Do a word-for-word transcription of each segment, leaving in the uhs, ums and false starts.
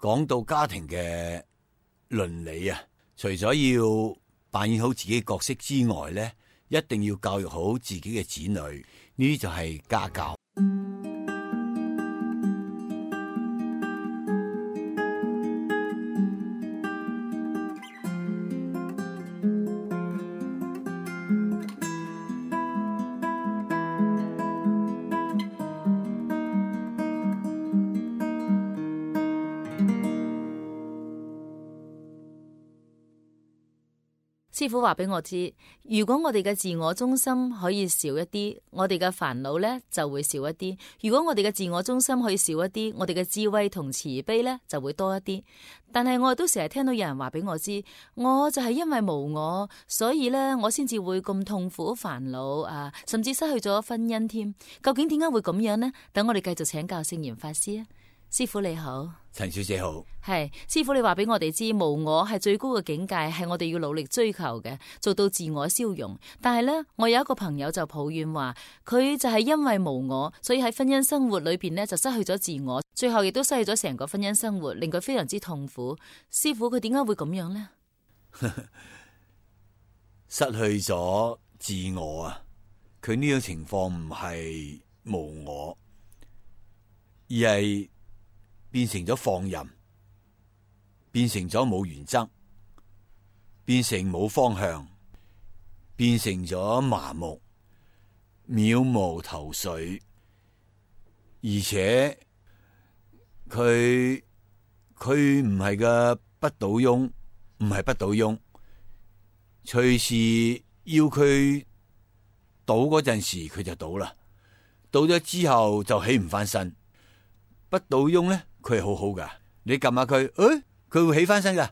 講到家庭嘅倫理啊，除咗要扮演好自己角色之外咧，一定要教育好自己嘅子女，呢啲就係家教。師父話俾我知，如果我哋嘅自我中心可以少一啲，我哋嘅煩惱呢就會少一啲；如果我哋嘅自我中心可以少一啲，我哋嘅智慧同慈悲呢就會多一啲。但係我亦都成日聽到有人話俾我知，我就係因為無我，所以呢我先至會咁痛苦煩惱啊，甚至失去咗婚姻添。究竟點解會咁樣呢？等我哋繼續請教聖嚴法師啊。師父你好。陳小姐好。係師父，你話俾我哋知，無我係最高嘅境界，係我哋要努力追求嘅，做到自我消融。但係呢，我有一個朋友就抱怨話，佢就係因為無我，所以喺婚姻生活裏邊呢就失去咗自我，最後亦都失去咗成個婚姻生活，令佢非常之痛苦。師父，佢點解會咁樣呢？失去咗自我啊！佢呢種情況唔係無我，而係變成咗放任，變成咗冇原則，變成冇方向，變成咗麻木、渺無頭緒，而且佢佢唔係個不倒翁，唔係不倒翁，隨時要佢倒嗰陣時佢就倒啦，倒咗之後就起唔翻身。不倒翁咧，佢係好好噶，你撳下佢，誒、哎，佢會起翻身噶。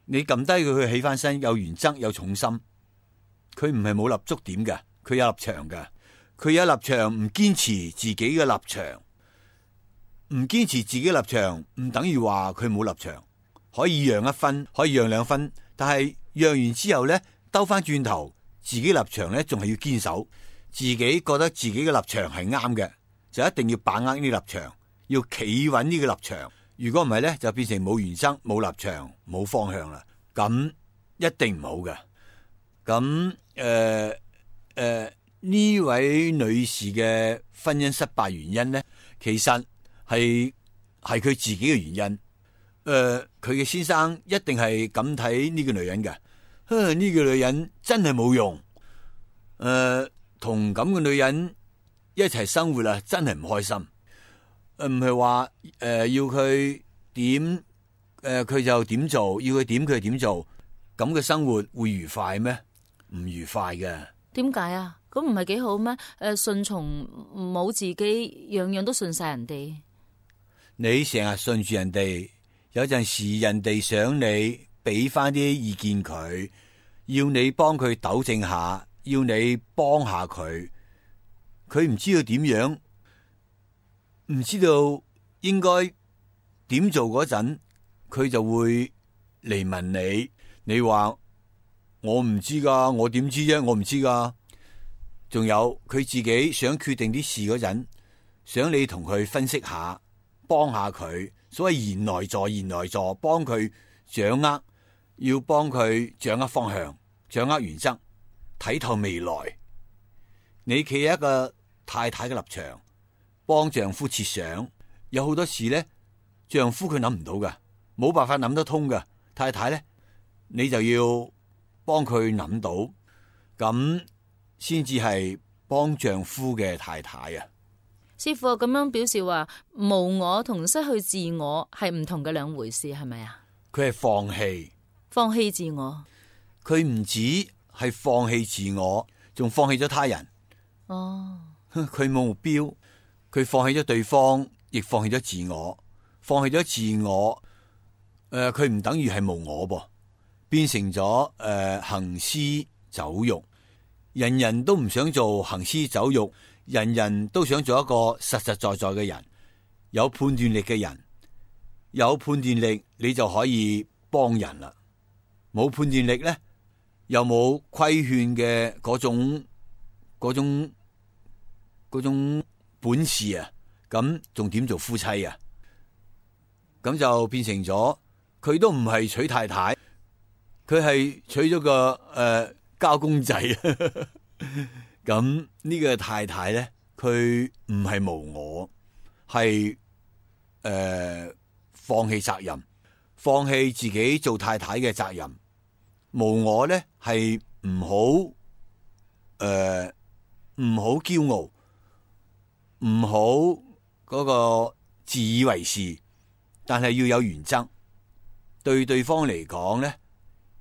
你撳低佢，佢起翻身，有原則，有重心。佢唔係冇立足點噶，佢有立場噶。佢有立場，唔堅持自己嘅立場，唔堅持自己立場，唔等於話佢冇立場，可以讓一分，可以讓兩分，但係讓完之後咧，兜翻轉頭，自己立場咧仲係要堅守，自己覺得自己嘅立場係啱嘅，就一定要把握呢立場。要企穩呢個立場，如果唔係咧，就變成冇原則、冇立場、冇方向啦。咁一定唔好嘅。咁誒誒呢位女士嘅婚姻失敗原因咧，其實係係佢自己嘅原因。誒、呃，佢嘅先生一定係咁睇呢個女人嘅。呢、呃呢個女人真係冇用。誒、呃，同咁嘅女人一齊生活啊，真係唔開心。唔係話誒要佢點誒佢就點做，要佢點佢就點做，咁嘅生活會愉快咩？唔愉快嘅。點解啊？咁唔係幾好咩？誒，順從冇自己，樣樣都順晒人哋。你成日順住人哋，有陣時人哋想你俾翻啲意見佢，要你幫佢糾正下，要你幫下佢，佢唔知道點樣。唔知道應該點做嗰陣，佢就會嚟問你。你話我唔知噶，我點知啫？我唔知噶。仲有佢自己想決定啲事嗰陣，想你同佢分析下，幫下佢。所謂賢內助，賢內助，幫佢掌握，要幫佢掌握方向，掌握原則，睇透未來。你企喺一個太太嘅立場，幫丈夫設想，有好多事咧，丈夫佢諗唔到噶，冇辦法諗得通噶。太太咧，你就要幫佢諗到，咁先至係幫丈夫嘅太太啊。師父咁樣表示話，無我同失去自我係唔同嘅兩回事，係咪啊？佢係放棄，放棄自我。佢唔止係放棄自我，仲放棄咗他人。哦，佢冇目標。佢放棄咗對方，亦放棄咗自我，放棄咗自我。誒、呃，佢唔等於係無我噃，變成咗誒、呃、行屍走肉。人人都唔想做行屍走肉，人人都想做一個實實在在嘅人，有判斷力嘅人。有判斷力，你就可以幫人啦。冇判斷力咧，又冇規勸嘅嗰種嗰種嗰種本事啊，咁仲點做夫妻啊？咁就變成咗佢都唔係娶太太，佢係娶咗個誒膠公仔。咁呢個太太咧，佢唔係無我，係誒、呃、放棄責任，放棄自己做太太嘅責任。無我咧係唔好誒唔好驕傲，唔好嗰個自以為是，但係要有原則。對對方嚟講咧，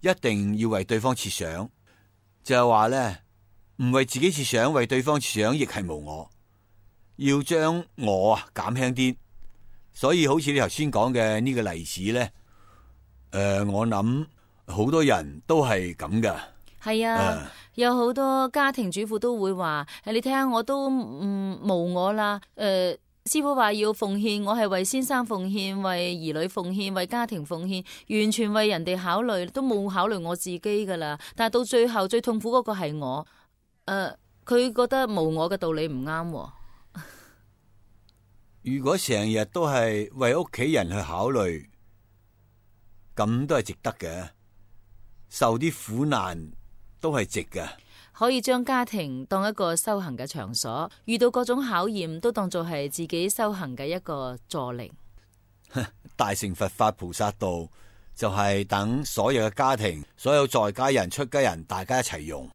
一定要為對方設想，就係話咧。唔為自己設想，為對方設想，亦係無我。要將我啊減輕啲，所以好似你頭先講嘅呢個例子咧，誒、呃，我諗好多人都係咁噶。係啊，呃、有好多家庭主婦都會話：誒，你睇下我都唔、嗯、無我啦。誒、呃，師傅話要奉獻，我係為先生奉獻，為兒女奉獻，為家庭奉獻，完全為人哋考慮，都冇考慮我自己噶啦。但係到最後最痛苦嗰個係我。誒，佢、呃、覺得無我嘅道理唔啱、哦。如果成日都係為屋企人去考慮，咁都係值得嘅，受啲苦難都係值嘅。可以將家庭當一個修行嘅場所，遇到各種考驗都當做係自己修行嘅一個助力。大乘佛法菩薩道就係等所有嘅家庭，所有在家人、出家人，大家一齊用。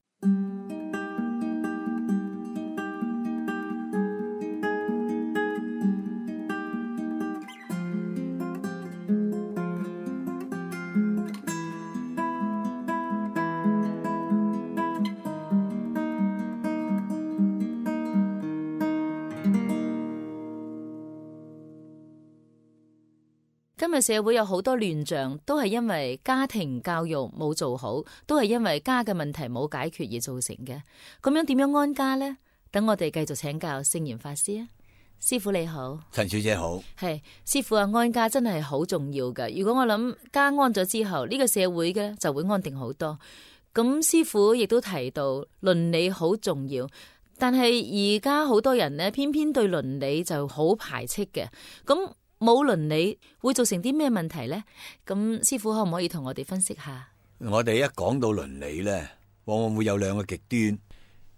今日社會有好多亂象，都係因為家庭教育冇做好，都係因為家嘅問題冇解決而造成嘅。咁樣點樣安家呢？等我哋繼續請教聖嚴法師啊。師父你好。陳小姐好。係師父啊，安家真係好重要㗎。如果我諗家安咗之後，呢個社會嘅就會安定好多。咁師父亦都提到倫理好重要，但係而家好多人呢，偏偏對倫理就好排斥嘅。咁冇倫理會造成啲咩問題呢？咁師父可唔可以同我哋分析下？我哋一講到倫理咧，往往會有兩個極端，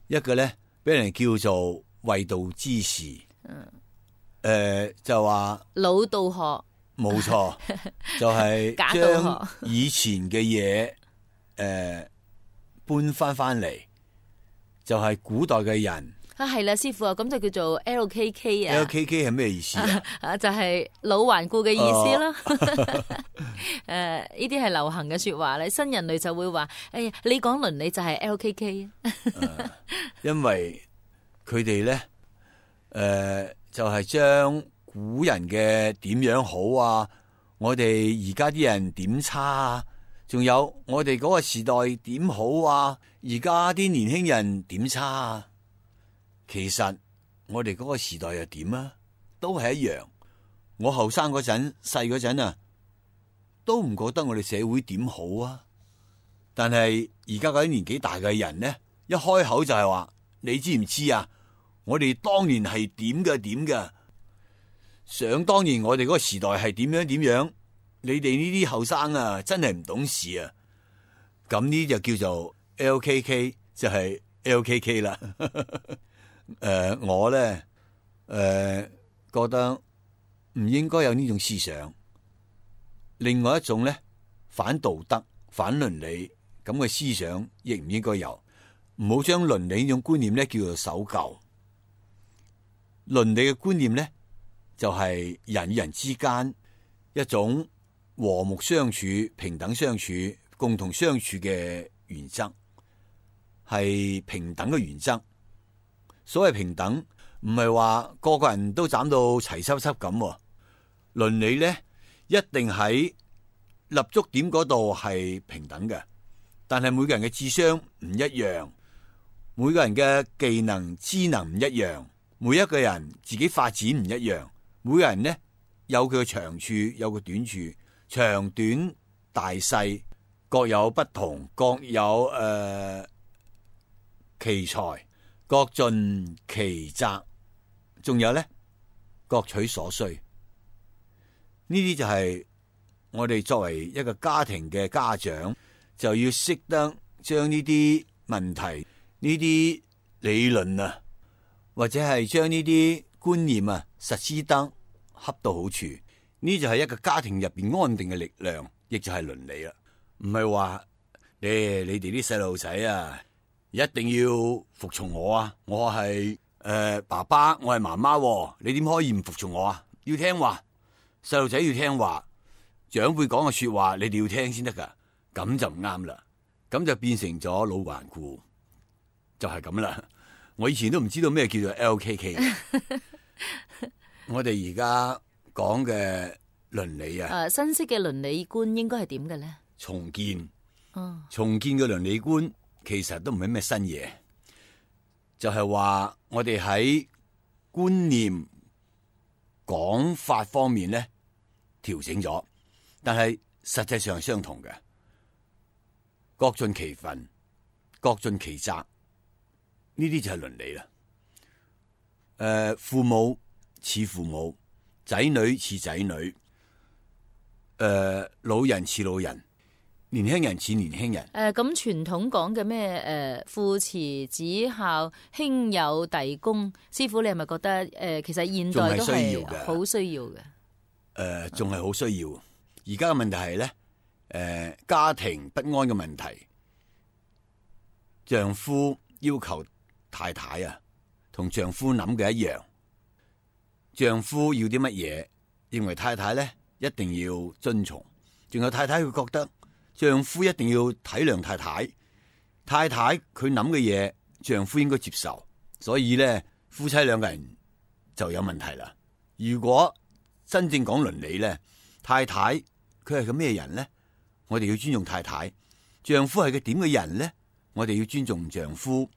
一個咧俾人叫做衛道之士，嗯，誒、呃、就話老道學，冇錯，就係將以前嘅嘢誒搬翻翻嚟，就係、是、古代嘅人。啊，係啦，師父啊，咁就叫做 L K K 啊。L K K 係咩意思啊？啊，就係、是、老頑固嘅意思啦。誒、呃，呢啲係流行嘅說話咧，新人類就會話：哎呀，你講倫理就係 L K K。呃、因為佢哋咧，誒、呃，就係、是、將古人嘅點樣好啊，我哋而家啲人點差啊，仲有我哋嗰個時代點好啊，而家啲年輕人點差啊。其實我哋嗰個時代又點啊？都係一樣。我後生嗰陣、細嗰陣啊，都唔覺得我哋社會點好啊。但係而家嗰啲年紀大嘅人呢，一開口就係話：你知唔知啊？我哋當年係點嘅點嘅。想當年我哋嗰個時代係點樣點樣。你哋呢啲後生啊，真係唔懂事啊。咁呢就叫做 L K K， 就係 L K K 啦。誒、呃，我咧誒、呃、覺得唔應該有呢種思想。另外一種咧，反道德、反倫理咁嘅思想，亦唔應該有。唔好將倫理呢種觀念咧叫做守舊。倫理嘅觀念咧，就係、是、人與人之間一種和睦相處、平等相處、共同相處嘅原則，係平等嘅原則。所謂平等，唔係話個個人都斬到齊濕濕咁。倫理咧，一定喺立足點嗰度係平等嘅，但係每個人嘅智商唔一樣，每個人嘅技能、知能唔一樣，每一個人自己發展唔一樣，每個人咧有佢嘅長處，有佢短處，長短大細各有不同，各有誒、呃、奇才。各盡其責，仲有咧，各取所需。呢啲就係我哋作為一個家庭嘅家長，就要識得將呢啲問題、呢啲理論啊，或者係將呢啲觀念啊實施得恰到好處。呢就係一個家庭入邊安定嘅力量，亦就係倫理啦。唔係話你你哋啲細路仔啊，一定要服從我啊！我係誒、呃、爸爸，我係媽媽，你點可以唔服從我啊？要聽話，細路仔要聽話，長輩講嘅說話你哋要聽先得噶，咁就唔啱啦，咁就變成咗老頑固，就係咁啦。我以前都唔知道咩叫做 L K K。我哋而家講嘅倫理啊，誒，新式嘅倫理觀應該係點嘅咧？重建，哦，重建嘅倫理觀其實都唔係咩新嘢，就係話我哋喺觀念講法方面咧調整咗，但係實際上係相同嘅，各盡其分，各盡其責，呢啲就係倫理啦。誒、呃，父母似父母，仔女似仔女，誒、呃，老人似老人，年輕人似年輕人。誒、呃，咁傳統講嘅咩誒父慈子孝、兄友弟恭，師傅你係咪覺得誒、呃，其實現代都係好需要嘅？誒、呃，仲係好需要。而家嘅問題係咧，誒、呃，家庭不安嘅問題，丈夫要求太太啊，同丈夫諗嘅一樣。丈夫要啲乜嘢，認為太太咧一定要遵從，仲有太太佢覺得丈夫一定要體諒太太，太太佢諗嘅嘢，丈夫應該接受，所以咧夫妻兩個人就有問題啦。如果真正講倫理咧，太太佢係個咩人咧？我哋要尊重太太。丈夫係個點嘅人咧？我哋要尊重丈夫。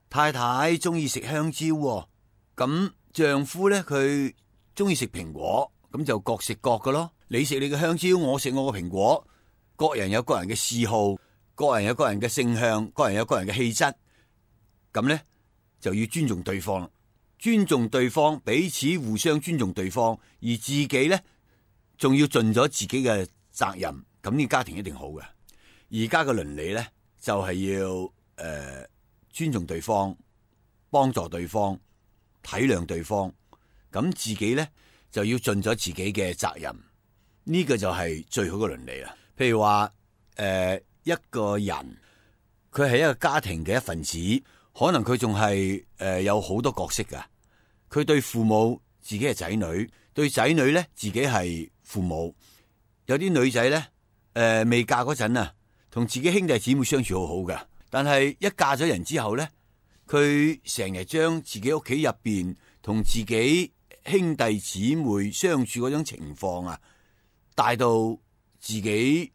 太太中意食香蕉，咁丈夫咧佢中意食蘋果，咁就各食各嘅咯。你食你嘅香蕉，我食我嘅蘋果，各人有各人嘅嗜好，各人有各人嘅性向，各人有各人嘅氣質，咁咧就要尊重對方，尊重對方，彼此互相尊重對方，而自己咧仲要盡咗自己嘅責任，咁呢個家庭一定好嘅。而家嘅倫理咧就係、是、要誒、呃、尊重對方，幫助對方，體諒對方，咁自己咧就要盡咗自己嘅責任，呢、這個就係最好嘅倫理啦。譬如話誒、呃、一個人佢係一個家庭嘅一份子，可能佢仲係誒有好多角色噶，佢對父母自己係仔女，對仔女咧自己係父母。有啲女仔咧誒、呃、未嫁嗰陣啊，同自己兄弟姊妹相處好好噶，但係一嫁咗人之後咧，佢成日將自己屋企入邊同自己兄弟姊妹相處嗰種情況啊，帶到自己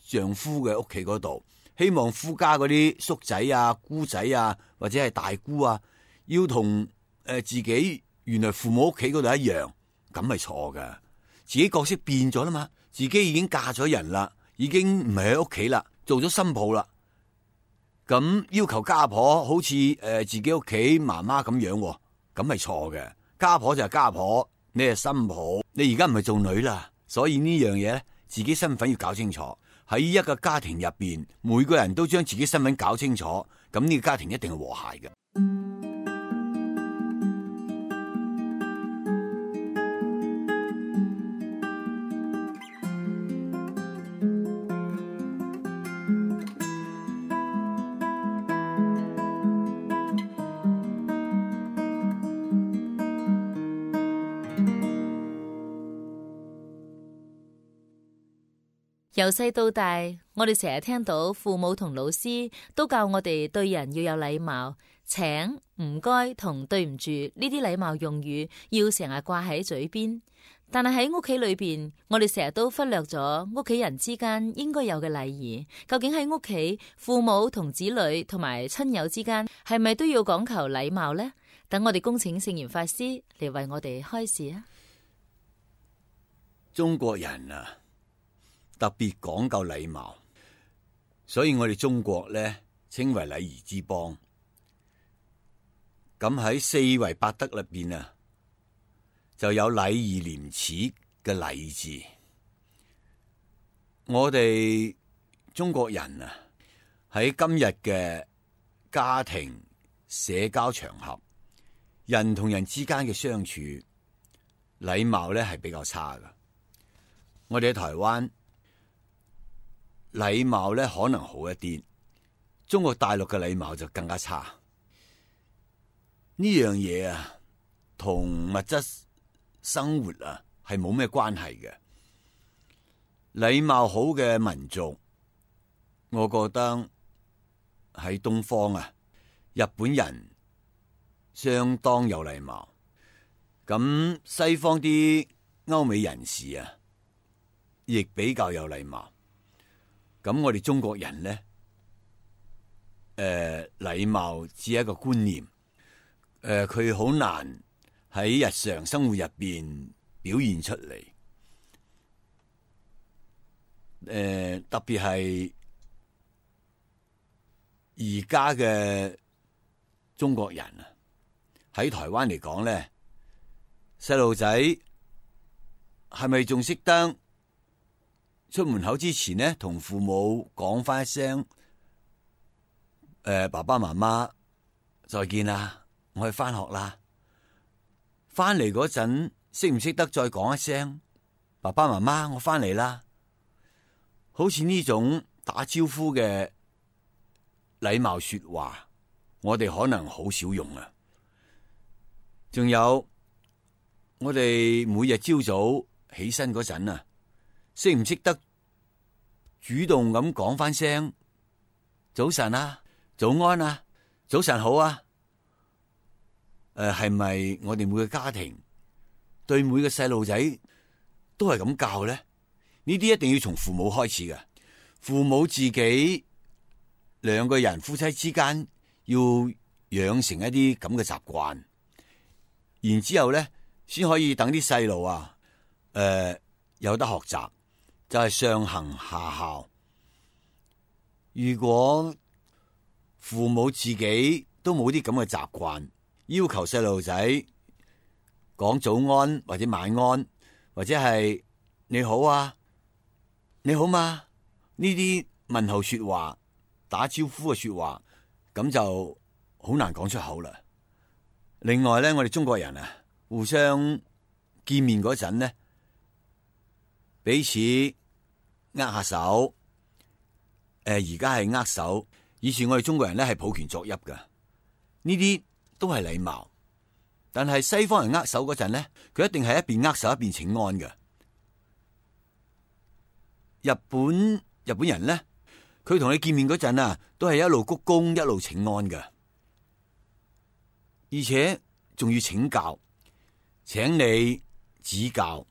丈夫嘅屋企嗰度，希望夫家嗰啲叔仔啊、姑仔啊，或者係大姑啊，要同誒自己原來父母屋企嗰度一樣，咁係錯噶。自己角色變咗啦嘛，自己已經嫁咗人啦，已經唔係喺屋企啦，做咗新抱啦。咁要求家婆好似誒、呃、自己屋企媽媽咁樣，咁係錯嘅。家婆就係家婆，你係新抱，你而家唔係做女啦，所以呢樣嘢咧，自己身份要搞清楚。喺一個家庭入邊，每個人都將自己身份搞清楚，咁呢個家庭一定係和諧嘅。由細到大，我哋成日聽到父母同老師都教我哋對人要有禮貌，請、唔該同對唔住呢啲禮貌用語要成日掛喺嘴邊。但係喺屋企裏邊，我哋成日都忽略咗屋企人之間應該有嘅禮儀。究竟喺屋企，父母同子女同埋親友之間係咪都要講求禮貌呢？等我哋恭請聖嚴法師嚟為我哋開示啊！中國人啊，特別講究禮貌，所以我哋中國咧稱為禮儀之邦。咁喺四維八德裏邊啊，就有禮義廉恥嘅禮字。我哋中國人啊，喺今日嘅家庭社交場合，人同人之間嘅相處，禮貌咧係比較差㗎。我哋喺台灣，禮貌咧可能好一啲，中國大陸嘅禮貌就更加差。呢樣嘢啊，同物質生活啊係冇咩關係嘅。禮貌好嘅民族，我覺得喺東方啊，日本人相當有禮貌。咁西方啲歐美人士啊，亦比較有禮貌。咁我哋中國人咧，誒、呃，禮貌只係一個觀念，誒、呃，佢好難喺日常生活入邊表現出嚟。誒、呃，特別係而家嘅中國人啊，喺台灣嚟講咧，細路仔係咪仲識得出門口之前呢，同父母講翻一聲，誒、呃，爸爸媽媽再見啦，我去翻學啦。翻嚟嗰陣，識唔識得再講一聲，爸爸媽媽，我翻嚟啦。好似呢種打招呼嘅禮貌說話，我哋可能好少用啊。仲有，我哋每日朝早起身嗰陣啊，識唔識得主動咁講翻聲早晨啊、早安啊、早晨好啊？誒、呃，係咪我哋每個家庭對每個細路仔都係咁教咧？呢啲一定要從父母開始嘅。父母自己兩個人夫妻之間要養成一啲咁嘅習慣，然之後咧先可以等啲細路啊，誒、呃，有得學習。就係上行下效。如果父母自己都冇啲咁嘅習慣，要求細路仔講早安或者晚安，或者係你好啊、你好嘛，呢啲問候說話、打招呼嘅說話，咁就好難講出口啦。另外咧，我哋中國人啊，互相見面嗰陣呢，彼此握下手，誒，而家係握手。以前我哋中國人咧係抱拳作揖噶，呢啲都係禮貌。但係西方人握手嗰陣咧，佢一定係一邊握手一邊請安嘅。日本日本人咧，佢同你見面嗰陣啊，都係一路鞠躬一路請安嘅，而且仲要請教，請你指教。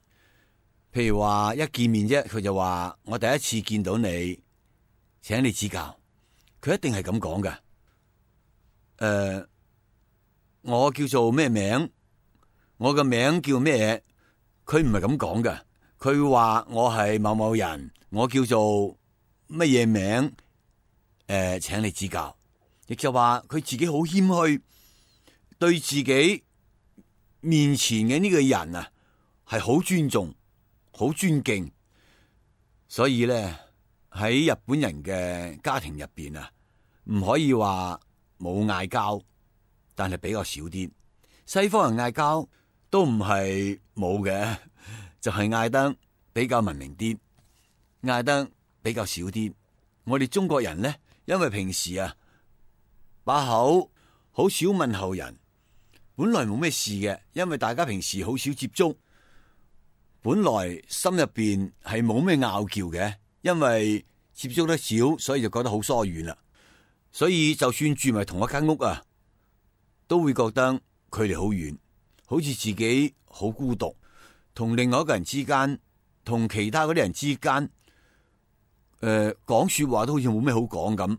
譬如話一見面啫，佢就話我第一次見到你，請你指教。佢一定係咁講嘅。誒、呃，我叫做咩名？我個名叫咩？佢唔係咁講嘅。佢話我係某某人，我叫做乜嘢名？誒、呃，請你指教。亦就話佢自己好謙虛，對自己面前嘅呢個人啊，係好尊重。好尊敬，所以咧喺日本人嘅家庭入邊啊，唔可以話冇嗌交，但係比較少啲。西方人嗌交都唔係冇嘅，就係嗌得比較文明啲，嗌得比較少啲。我哋中國人咧，因為平時啊把口好少問候人，本來冇咩事嘅，因為大家平時好少接觸。本來心入邊係冇咩拗撬嘅，因為接觸得少，所以就覺得好疏遠啦。所以就算住埋同一間屋啊，都會覺得距離好遠，好似自己好孤獨，同另外一個人之間，同其他嗰啲人之間，誒、呃、講說話都好似冇咩好講咁。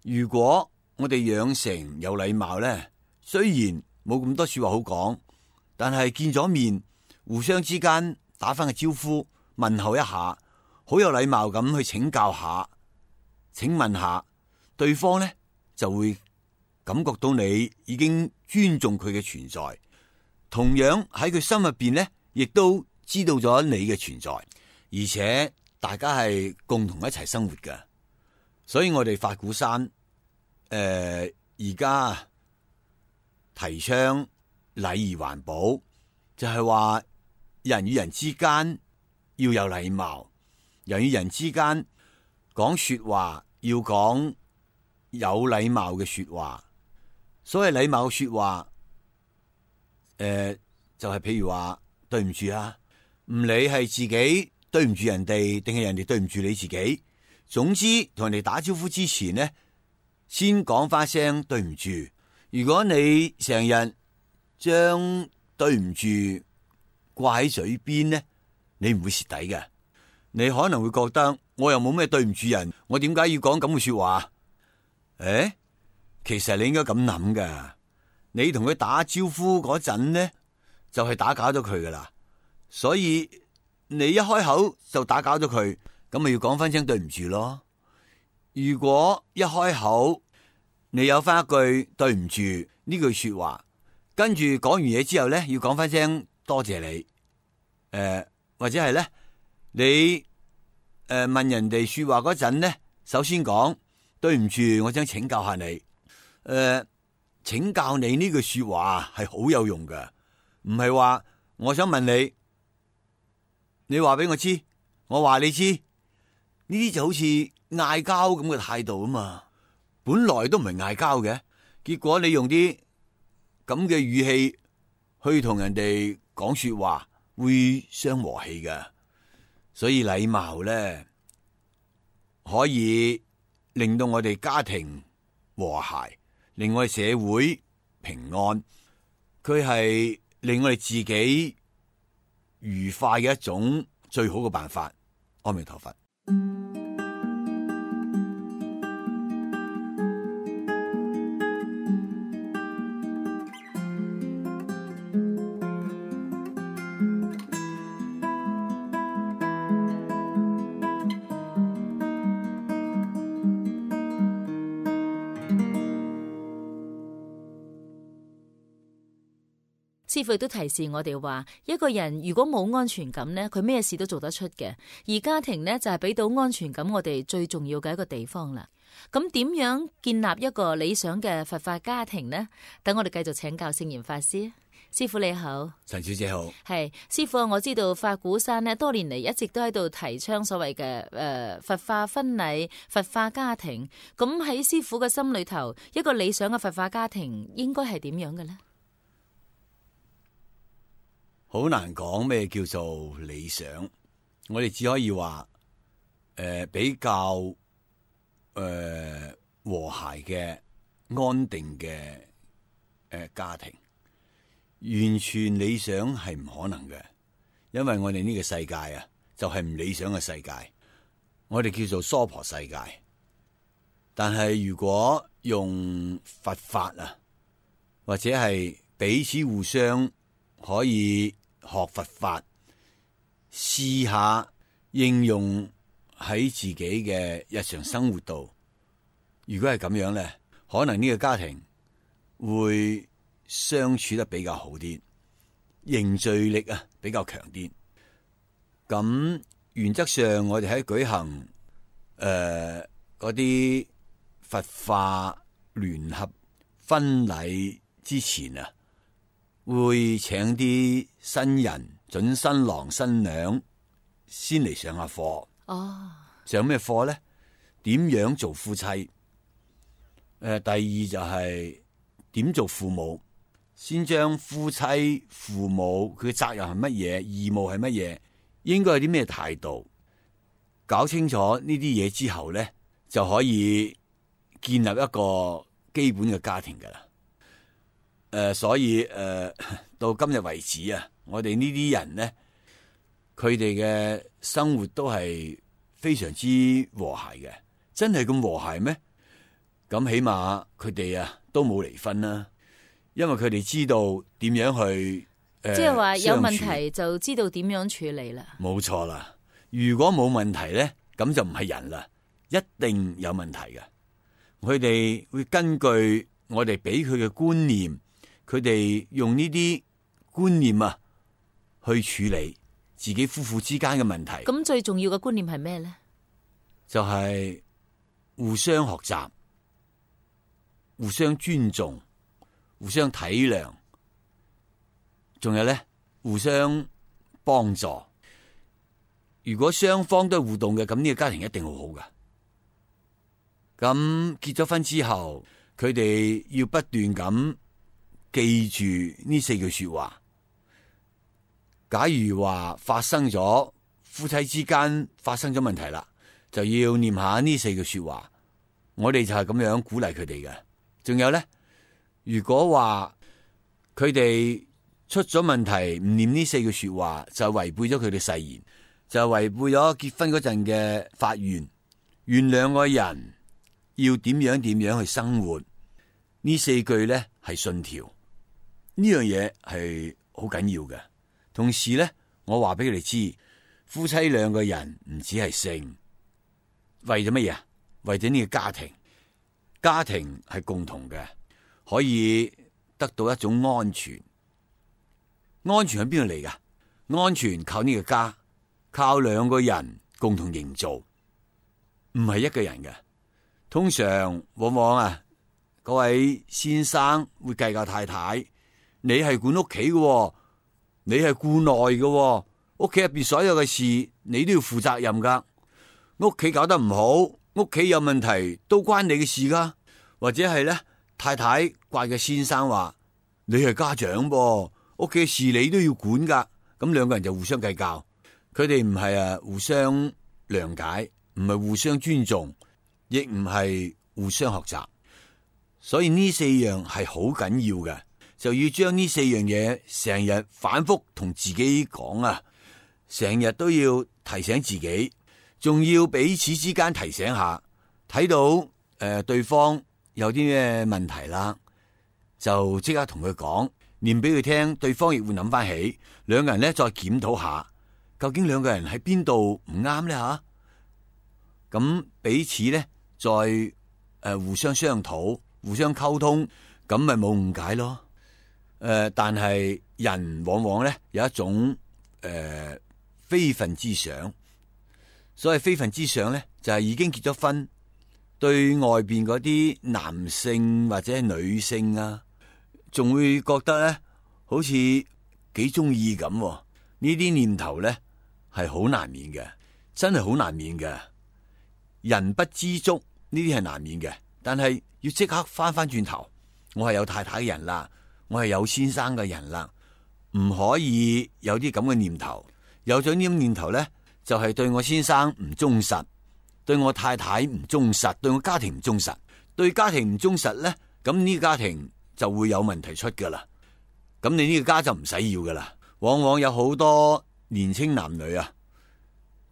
如果我哋養成有禮貌咧，雖然冇咁多說話好講，但係見咗面，互相之間打翻個招呼，問候一下，好有禮貌咁去請教下，請問下對方咧，就會感覺到你已經尊重佢嘅存在，同樣喺佢心入邊咧，亦都知道咗你嘅存在，而且大家係共同一齊生活嘅。所以我哋法鼓山誒而家提倡禮儀環保，就係話人與人之間要有禮貌，人與人之間講說話要講有禮貌嘅說話。所謂禮貌嘅說話，誒、呃、就係、是、譬如話對唔住啊，唔理係自己對唔住人哋，定係人哋對唔住你自己。總之同人哋打招呼之前呢，先講翻聲對唔住。如果你成日將對唔住掛喺嘴邊呢，你唔會蝕底嘅。你可能會覺得我又冇咩對唔住人，我點解要講咁嘅說話？誒，其實你應該咁諗噶。你同佢打招呼嗰陣呢，就係打攪咗佢噶啦。所以你一開口就打攪咗佢，咁咪要講翻聲對唔住咯。如果一開口你有翻一句對唔住呢句說話，跟住講完嘢之後咧，要講翻聲多謝你。誒、呃，或者係咧，你誒、呃、問人哋說話嗰陣咧，首先講對唔住，我想請教下你。誒、呃，請教你呢句說話係好有用㗎，唔係話我想問你，你話俾我知，我話你知，呢啲就好似嗌交咁嘅態度啊嘛。本來都唔係嗌交嘅，結果你用啲咁嘅語氣去同人哋講說話，會傷和氣嘅。所以禮貌咧，可以令到我哋家庭和諧，令我哋社會平安。佢係令我哋自己愉快嘅一種最好嘅辦法。阿彌陀佛。師父亦都提示我哋話，一個人如果冇安全感呢，佢咩事都做得出嘅。而家庭呢，就係俾到安全感我哋最重要嘅一個地方啦。咁點樣建立一個理想嘅佛法家庭呢？等我哋繼續請教聖嚴法師。師父你好。陳小姐好。係師父，我知道法鼓山呢多年嚟一直都喺度提倡所謂嘅誒佛化婚禮、佛化家庭。咁喺師父嘅心裏頭，一個理想嘅佛化家庭應該係點樣嘅呢？好難講咩叫做理想，我哋只可以話誒、呃、比較誒、呃、和諧嘅安定嘅誒、呃、家庭。完全理想係唔可能嘅，因為我哋呢個世界啊，就係唔理想嘅世界，我哋叫做娑婆世界。但係如果用佛法啊，或者係彼此互相可以學佛法，試下應用喺自己嘅日常生活度。如果係咁樣咧，可能呢個家庭會相處得比較好啲，凝聚力啊比較強啲。咁原則上，我哋喺舉行誒嗰啲佛化聯合婚禮之前啊，會請啲新人準新郎新娘先嚟上下課。哦，上咩課咧？點樣做夫妻？誒、呃，第二就係點做父母？先將夫妻、父母佢嘅責任係乜嘢，義務係乜嘢，應該有啲咩態度，搞清楚呢啲嘢之後咧，就可以建立一個基本嘅家庭噶啦。誒、呃，所以誒、呃，到今日為止啊，我哋呢啲人咧，佢哋嘅生活都係非常之和諧嘅。真係咁和諧咩？咁起碼佢哋啊都冇離婚啦。因為佢哋知道點樣去，誒，即係話有問題就知道點樣處理啦。冇錯啦，如果冇問題咧，咁就唔係人啦，一定有問題嘅。佢哋會根據我哋俾佢嘅觀念，佢哋用呢啲觀念啊去處理，自己夫婦之間嘅問題。咁最重要嘅觀念係咩呢？就係互相學習、互相尊重、互相體諒，仲有咧互相幫助。如果雙方都係互動嘅，咁呢個家庭一定好好噶。咁結咗婚之後，佢哋要不斷咁記住呢四句說話。假如話發生咗夫妻之間發生咗問題啦，就要念下呢四句說話。我哋就係咁樣鼓勵佢哋嘅。仲有咧，如果話佢哋出咗問題唔念呢四句說話，就違背咗佢哋誓言，就違背咗結婚嗰陣嘅發願，願兩個人要點樣點樣去生活。呢四句咧係信條，呢樣嘢係好緊要嘅。同時咧，我話俾佢哋知，夫妻兩個人唔只係性，為咗乜嘢？為咗呢個家庭，家庭係共同嘅，可以得到一種安全。安全喺邊度嚟噶？安全靠呢個家，靠兩個人共同營造，唔係一個人嘅。通常往往啊，各位先生會計較太太，你係管屋企嘅，你係顧內嘅，屋企入邊所有嘅事你都要負責任噶。屋企搞得唔好，屋企有問題都關你嘅事噶。或者係咧，太太怪嘅先生話你係家長噃，屋企嘅事你都要管噶。咁兩個人就互相計較，佢哋唔係啊互相諒解，唔係互相尊重，亦唔係互相學習。所以呢四樣係好緊要嘅，就要將呢四樣嘢成日反覆同自己講啊，成日都要提醒自己，仲要彼此之間提醒下，睇到誒、呃、對方有啲咩問題啦，就即刻同佢講，念俾佢聽，對方亦會諗翻起，兩個人咧再檢討下，究竟兩個人喺邊度唔啱咧吓？咁彼此咧再誒、呃、互相商討。互相溝通，咁咪冇誤解咯。誒、呃，但係人往往咧有一種誒、呃、非分之想，所謂非分之想咧，就係、是、已經結咗婚，對外邊嗰啲男性或者係女性啊，仲會覺得咧好似幾中意咁。呢啲念頭咧係好難免嘅，真係好難免嘅。人不知足，呢啲係難免嘅，但係要即刻翻翻轉頭，我係有太太嘅人啦，我係有先生嘅人啦，唔可以有啲咁嘅念頭。有咗呢種念頭咧，就係、是、對我先生唔忠實，對我太太唔忠實，對我家庭唔忠實。對家庭唔忠實咧，咁呢個家庭就會有問題出噶啦。咁你呢個家就唔使要噶啦。往往有好多年青男女啊，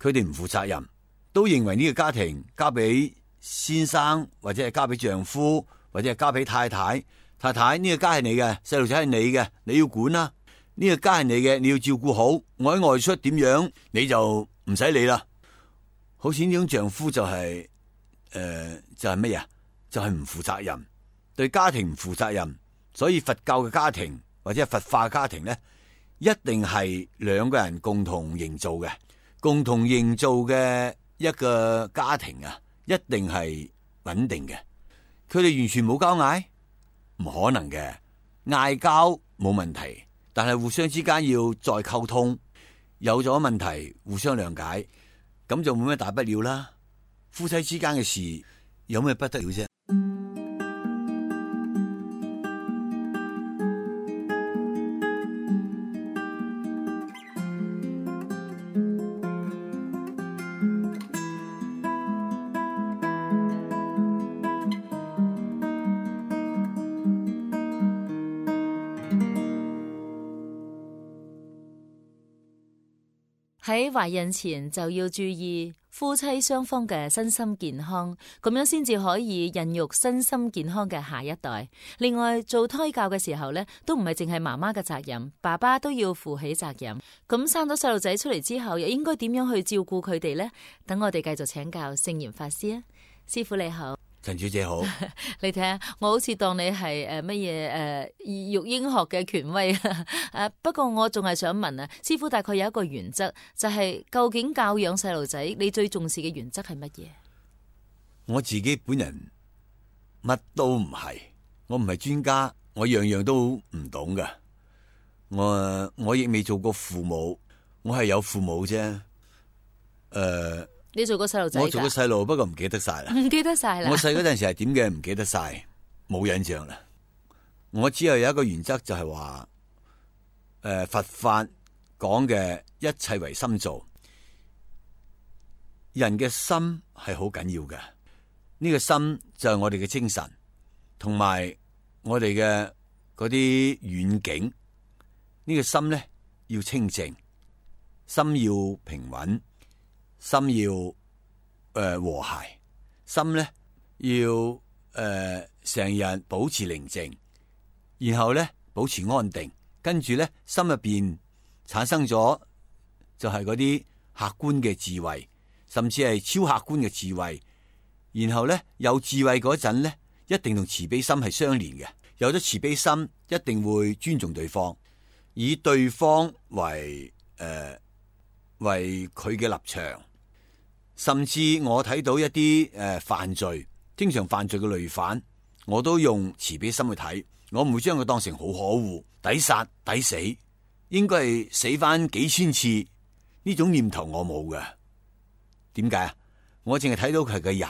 佢哋唔負責任，都認為呢個家庭交俾先生或者係交俾丈夫或者係交俾太太，太太呢個家係你嘅，細路仔係你嘅，你要管啦。呢個家係你嘅，你要照顧好。我喺外出點樣，你就唔使理啦。好似呢種丈夫就係、是、誒、呃、就係乜嘢？就係、是、唔負責任，對家庭唔負責任。所以佛教嘅家庭或者係佛化嘅家庭咧，一定係兩個人共同營造嘅，共同營造嘅一個家庭啊。一定係穩定嘅，佢哋完全冇交嗌，唔可能嘅。嗌交冇問題，但係互相之間要再溝通，有咗問題互相諒解，咁就冇咩大不了啦。夫妻之間嘅事有咩不得了啫？喺懷孕前就要注意夫妻雙方嘅身心健康，咁樣先至可以孕育身心健康嘅下一代。另外，做胎教嘅時候呢，都唔係淨係媽媽嘅責任，爸爸都要負起責任。咁生咗細路仔出嚟之後，又應該點樣去照顧佢哋呢？等我哋繼續請教聖嚴法師啊，師父你好。陳小姐好。你睇下，我好似當你係誒乜嘢誒育嬰學嘅權威啊！誒，不過我仲係想問啊，師傅大概有一個原則，就係、是、究竟教養細路仔，你最重視嘅原則係乜嘢？我自己本人乜都唔係，我唔係專家，我樣樣都唔懂噶。我我亦未做過父母，我係有父母啫。誒、呃，你做過細路仔？我做過細路，不過唔記得晒啦。唔記得晒啦。我細嗰陣時係點嘅，唔記得晒，冇印象啦。我只係有一個原則，就係話，誒、呃，佛法講嘅一切為心造，人嘅心係好緊要嘅。呢、這個心就係我哋嘅精神，同埋我哋嘅嗰啲遠景。呢、這個心咧要清淨，心要平穩，心要誒、呃、和諧，心咧要誒成日保持寧靜，然後咧保持安定，跟住咧心入邊產生咗就係嗰啲客觀嘅智慧，甚至係超客觀嘅智慧。然後咧有智慧嗰陣咧，一定同慈悲心係相連嘅。有咗慈悲心，一定會尊重對方。以對方為誒、呃、為佢嘅立場，甚至我睇到一啲誒、呃、犯罪，經常犯罪嘅累犯，我都用慈悲心去睇，我唔會將佢當成好可惡、抵殺、抵死，應該係死翻幾千次呢種念頭我冇嘅。點解啊？我淨係睇到佢係個人，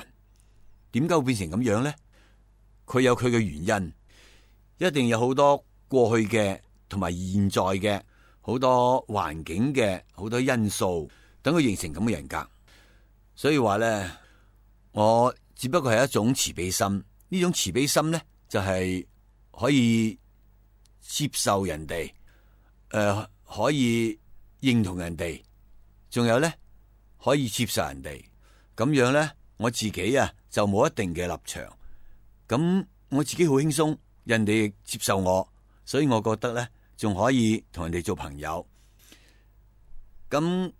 點解會變成咁樣咧？佢有佢嘅原因，一定有好多過去嘅。同埋現在嘅好多環境嘅好多因素，等佢形成咁嘅人格。所以話咧，我只不過係一種慈悲心。呢種慈悲心咧，就係、是、可以接受人哋，誒、呃，可以認同人哋，仲有咧可以接受人哋。咁樣咧，我自己啊就冇一定嘅立場。咁我自己好輕鬆，人哋接受我。所以我覺得咧，仲可以同人哋做朋友。咁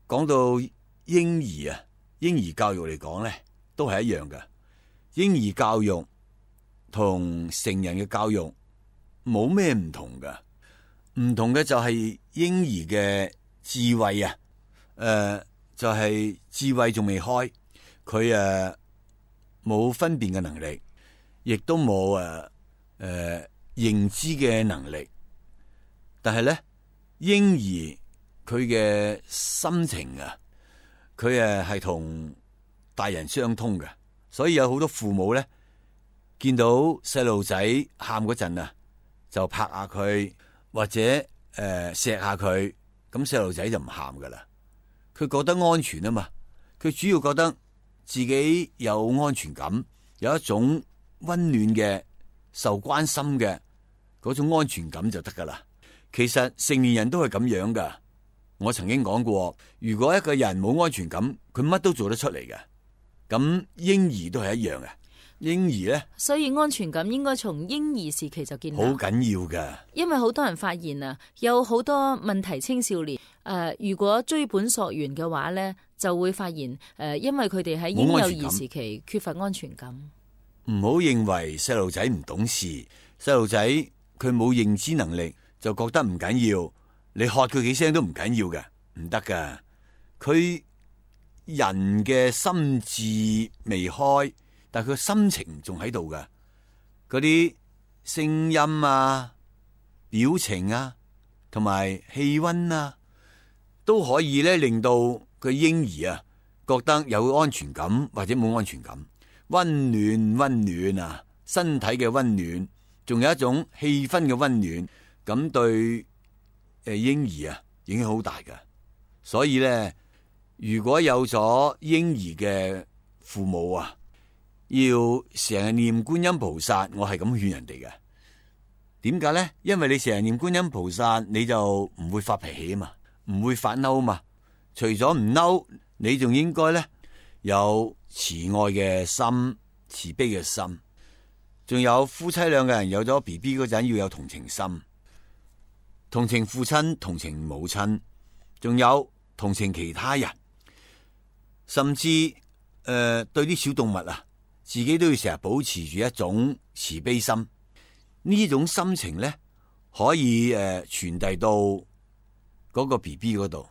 講到嬰兒啊，嬰兒教育嚟講咧，都係一樣嘅。嬰兒教育同成人嘅教育冇咩唔同嘅，唔同嘅就係嬰兒嘅智慧啊，誒、呃，就係、是、智慧仲未開，佢誒冇分辨嘅能力，亦都冇誒誒。呃認知嘅能力，但係咧嬰兒佢嘅心情啊，佢誒係同大人相通嘅，所以有好多父母咧見到細路仔喊嗰陣啊，就拍下佢或者誒錫下佢，咁細路仔就唔喊噶啦，佢覺得安全啊嘛，佢主要覺得自己有安全感，有一種溫暖嘅受關心嘅。嗰種安全感就得噶啦。其實成年人都係咁樣噶。我曾經講過，如果一個人冇安全感，佢乜都做得出嚟嘅。咁嬰兒都係一樣嘅。嬰兒咧，所以安全感應該從嬰兒時期就建立。好緊要噶。因為好多人發現啊，有好多問題青少年誒、呃，如果追本溯源嘅話咧，就會發現誒、呃，因為佢哋喺嬰幼兒時期缺乏安全感。唔好認為細路仔唔懂事，細路仔。佢冇認知能力，就覺得唔緊要，你喝佢幾聲都唔緊要嘅，唔得噶。佢人嘅心智未開，但係佢心情仲喺度噶。嗰啲聲音啊、表情啊、同埋氣溫啊，都可以咧令到個嬰兒啊覺得有安全感或者冇安全感。溫暖溫暖啊，身體嘅溫暖。仲有一種氣氛嘅溫暖，咁對誒嬰兒啊影響好大㗎。所以咧，如果有咗嬰兒嘅父母啊，要成日念觀音菩薩，我係咁勸人哋嘅。點解咧？因為你成日念觀音菩薩，你就唔會發脾氣啊嘛，唔會發嬲啊嘛。除咗唔嬲，你仲應該咧有慈愛嘅心、慈悲嘅心。仲有夫妻兩個人有咗 B B 嗰陣要有同情心，同情父親、同情母親，仲有同情其他人，甚至誒、呃、對啲小動物啊，自己都要成日保持住一種慈悲心。呢種心情咧，可以誒傳遞到嗰個 B B 嗰度。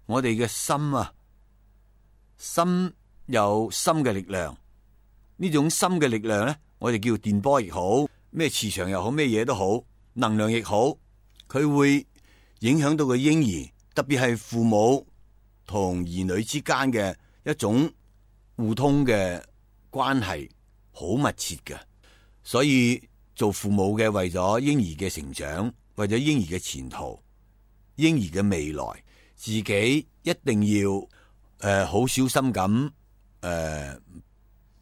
我哋嘅心啊，心有心嘅力量。呢種心嘅力量咧，我哋叫電波亦好，咩磁場又好，咩嘢都好，能量亦好，佢會影響到個嬰兒，特別係父母同兒女之間嘅一種互通嘅關係，好密切嘅。所以做父母嘅為咗嬰兒嘅成長，為咗嬰兒嘅前途、嬰兒嘅未來，自己一定要誒好、呃、小心咁誒、呃、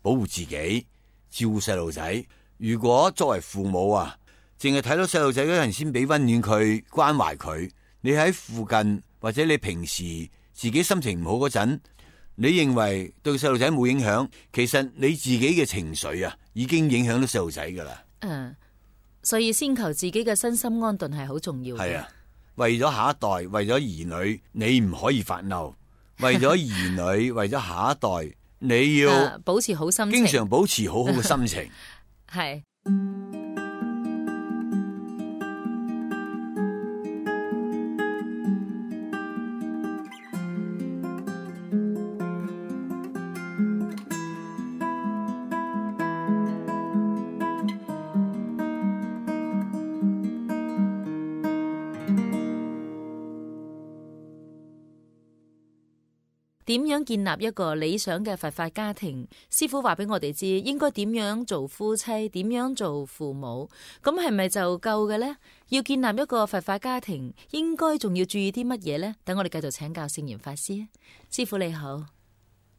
保護自己，照顧細路仔。如果作為父母啊，淨係睇到細路仔嗰陣先俾溫暖佢、關懷佢，你喺附近或者你平時自己心情唔好嗰陣，你認為對細路仔冇影響，其實你自己嘅情緒啊，已經影響到細路仔噶啦。嗯，所以先求自己嘅身心安頓係好重要嘅。係啊，為咗下一代，為咗兒女，你唔可以發嬲；為咗兒女，為咗下一代，你要、啊、保持好心情，經常保持好好嘅心情。係。點樣建立一個理想嘅佛法家庭？師父話俾我哋知，應該點樣做夫妻，點樣做父母，咁係咪就夠嘅呢？要建立一個佛法家庭，應該仲要注意啲乜嘢呢？等我哋繼續請教聖嚴法師。師父你好。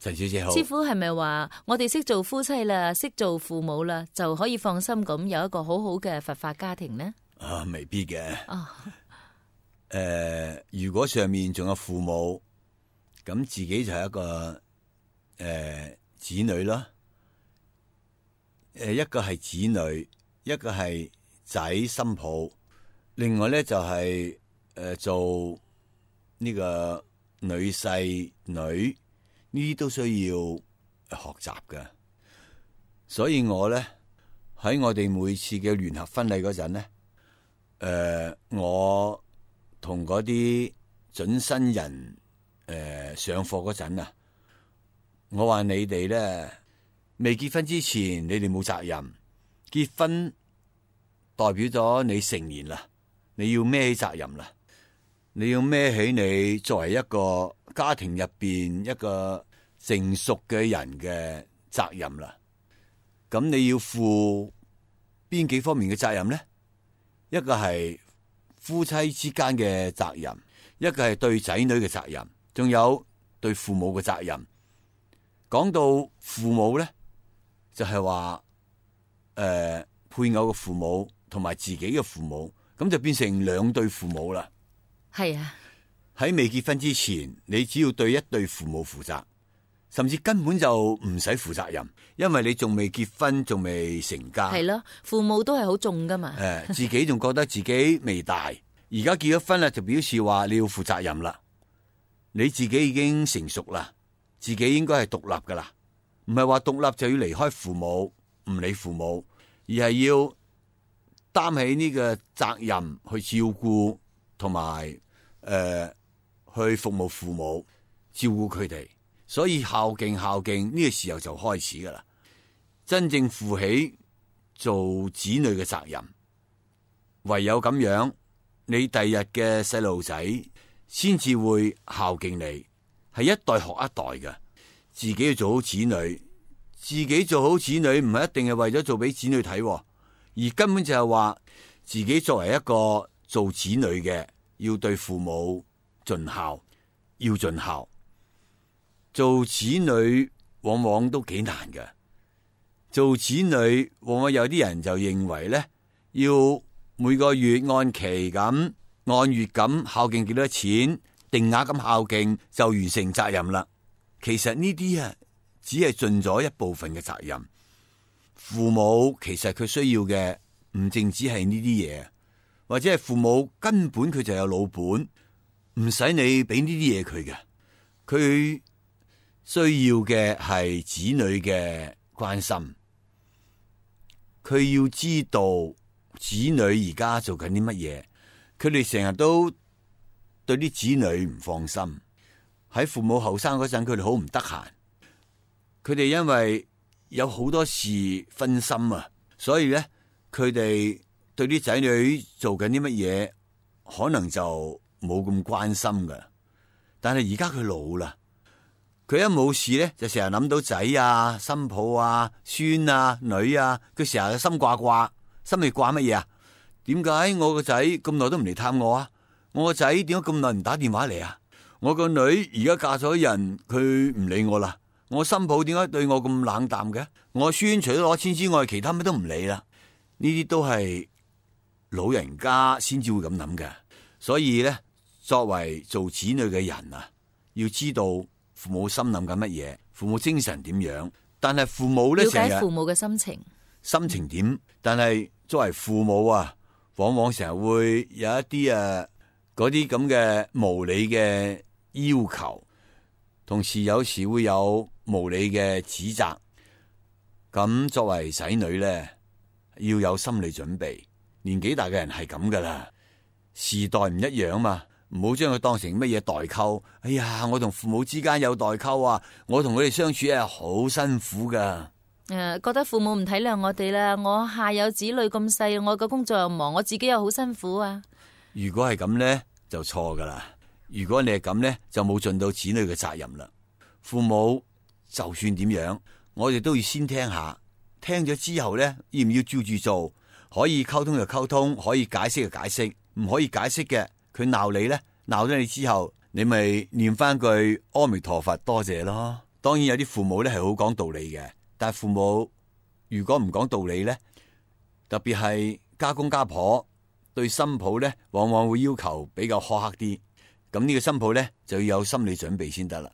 陳小姐好。師父係咪話我哋識做夫妻啦，識做父母啦，就可以放心咁有一個好好嘅佛法家庭呢？啊，未必嘅。哦。誒、呃，如果上面仲有父母，咁自己就係一個誒、呃、子女咯。誒，一個係子女，一個係仔新抱，另外咧就係、是、誒、呃、做呢個女婿女，呢啲都需要學習嘅。所以我咧喺我哋每次嘅聯合婚禮嗰陣咧，誒、呃，我同嗰啲準新人。誒、呃，上課嗰陣啊，我話你哋咧未結婚之前，你哋冇責任。結婚代表咗你成年啦，你要孭起責任啦，你要孭起你作為一個家庭入邊一個成熟嘅人嘅責任啦。咁你要負邊幾方面嘅責任咧？一個係夫妻之間嘅責任，一個係對仔女嘅責任。仲有對父母嘅責任。講到父母咧，就係話誒配偶嘅父母同埋自己嘅父母，咁就變成兩對父母啦。係啊，喺未結婚之前，你只要對一對父母負責，甚至根本就唔使負責任，因為你仲未結婚，仲未成家。係咯，父母都係好重噶嘛。誒，自己仲覺得自己未大，而家結咗婚啦，就表示話你要負責任啦。你自己已經成熟啦，自己應該係獨立噶啦，唔係話獨立就要離開父母，唔理父母，而係要擔起呢個責任去照顧同埋誒去服務父母，照顧佢哋。所以孝敬孝敬呢個時候就開始噶啦，真正負起做子女嘅責任，唯有咁樣，你第日嘅細路仔先至會孝敬你，係一代學一代嘅。自己要做好子女，自己做好子女唔係一定係為咗做俾子女睇，而根本就係話自己作為一個做子女嘅，要對父母盡孝，要盡孝。做子女往往都幾難嘅，做子女往往有啲人就認為咧，要每個月按期咁。按月咁孝敬幾多錢，定額咁孝敬就完成責任啦。其實呢啲啊，只係盡咗一部分嘅責任。父母其實佢需要嘅唔淨止係呢啲嘢，或者係父母根本佢就有老本，唔使你俾呢啲嘢佢嘅。佢需要嘅係子女嘅關心，佢要知道子女而家做緊啲乜嘢。佢哋成日都對啲子女唔放心。喺父母後生嗰陣，佢哋好唔得閒。佢哋因為有好多事分心啊，所以咧佢哋對啲仔女做緊啲乜嘢，可能就冇咁關心噶。但係而家佢老啦，佢一冇事咧，就成日諗到仔啊、新抱啊、孫啊、女啊，佢成日心掛掛，心裏掛乜嘢啊？點解我個仔咁耐都唔嚟探我啊？我個仔點解咁耐唔打電話嚟啊？我個女而家嫁咗人，佢唔理我啦。我新抱點解對我咁冷淡嘅？我孫除咗攞錢之外，其他乜都唔理啦。呢啲都係老人家先至會咁諗嘅。所以咧，作為做子女嘅人啊，要知道父母心諗緊乜嘢，父母精神點樣。但係父母咧，了解父母嘅心情，心情點？但係作為父母啊，往往成日會有一啲誒嗰啲咁嘅無理嘅要求，同時有時會有無理嘅指責。咁作為仔女咧，要有心理準備。年紀大嘅人係咁噶啦，時代唔一樣嘛，唔好將佢當成乜嘢代溝。哎呀，我同父母之間有代溝啊，我同佢哋相處係好辛苦噶。誒、呃，覺得父母唔體諒我哋啦，我下有子女咁細，我個工作又忙，我自己又好辛苦啊。如果係咁咧，就錯噶啦。如果你係咁咧，就冇盡到子女嘅責任啦。父母就算點樣，我哋都要先聽下，聽咗之後咧，要唔要照住做？可以溝通就溝通，可以解釋就解釋，唔可以解釋嘅，佢鬧你咧，鬧咗你之後，你咪念翻句阿彌陀佛多謝咯。當然有啲父母咧係好講道理嘅，但係父母如果唔講道理咧，特別係家公家婆對新抱咧，往往會要求比較苛刻啲。咁呢個新抱咧就要有心理準備先得啦。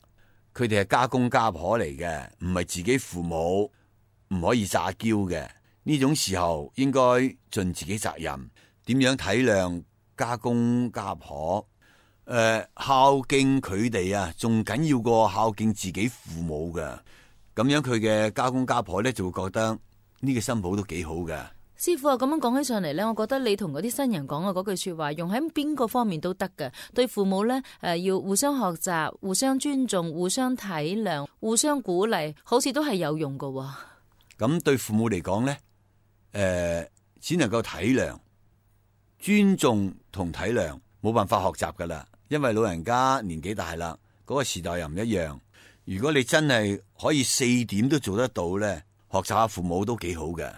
佢哋係家公家婆嚟嘅，唔係自己父母，唔可以詐嬌嘅。呢種時候應該盡自己責任，點樣體諒家公家婆？誒、呃，孝敬佢哋啊，仲緊要過孝敬自己父母㗎。咁樣佢嘅家公家婆咧就會覺得呢個新抱都幾好㗎。師傅啊，咁樣講起上嚟咧，我覺得你同嗰啲新人講嘅嗰句說話，用喺邊個方面都得嘅。對父母咧，誒、呃、要互相學習、互相尊重、互相體諒、互相鼓勵，好似都係有用㗎。咁對父母嚟講咧，誒、呃、只能夠體諒、尊重同體諒，冇辦法學習噶啦。因為老人家年紀大啦，嗰、那個時代又唔一樣。如果你真係可以四點都做得到咧，學習下父母都幾好嘅。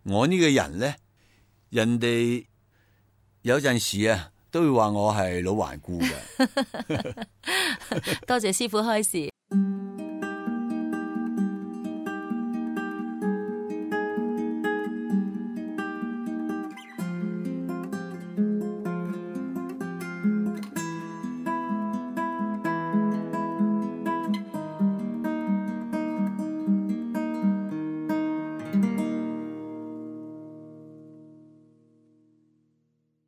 我呢個人咧，人哋有陣時啊，都會話我係老頑固嘅。多謝師傅開示。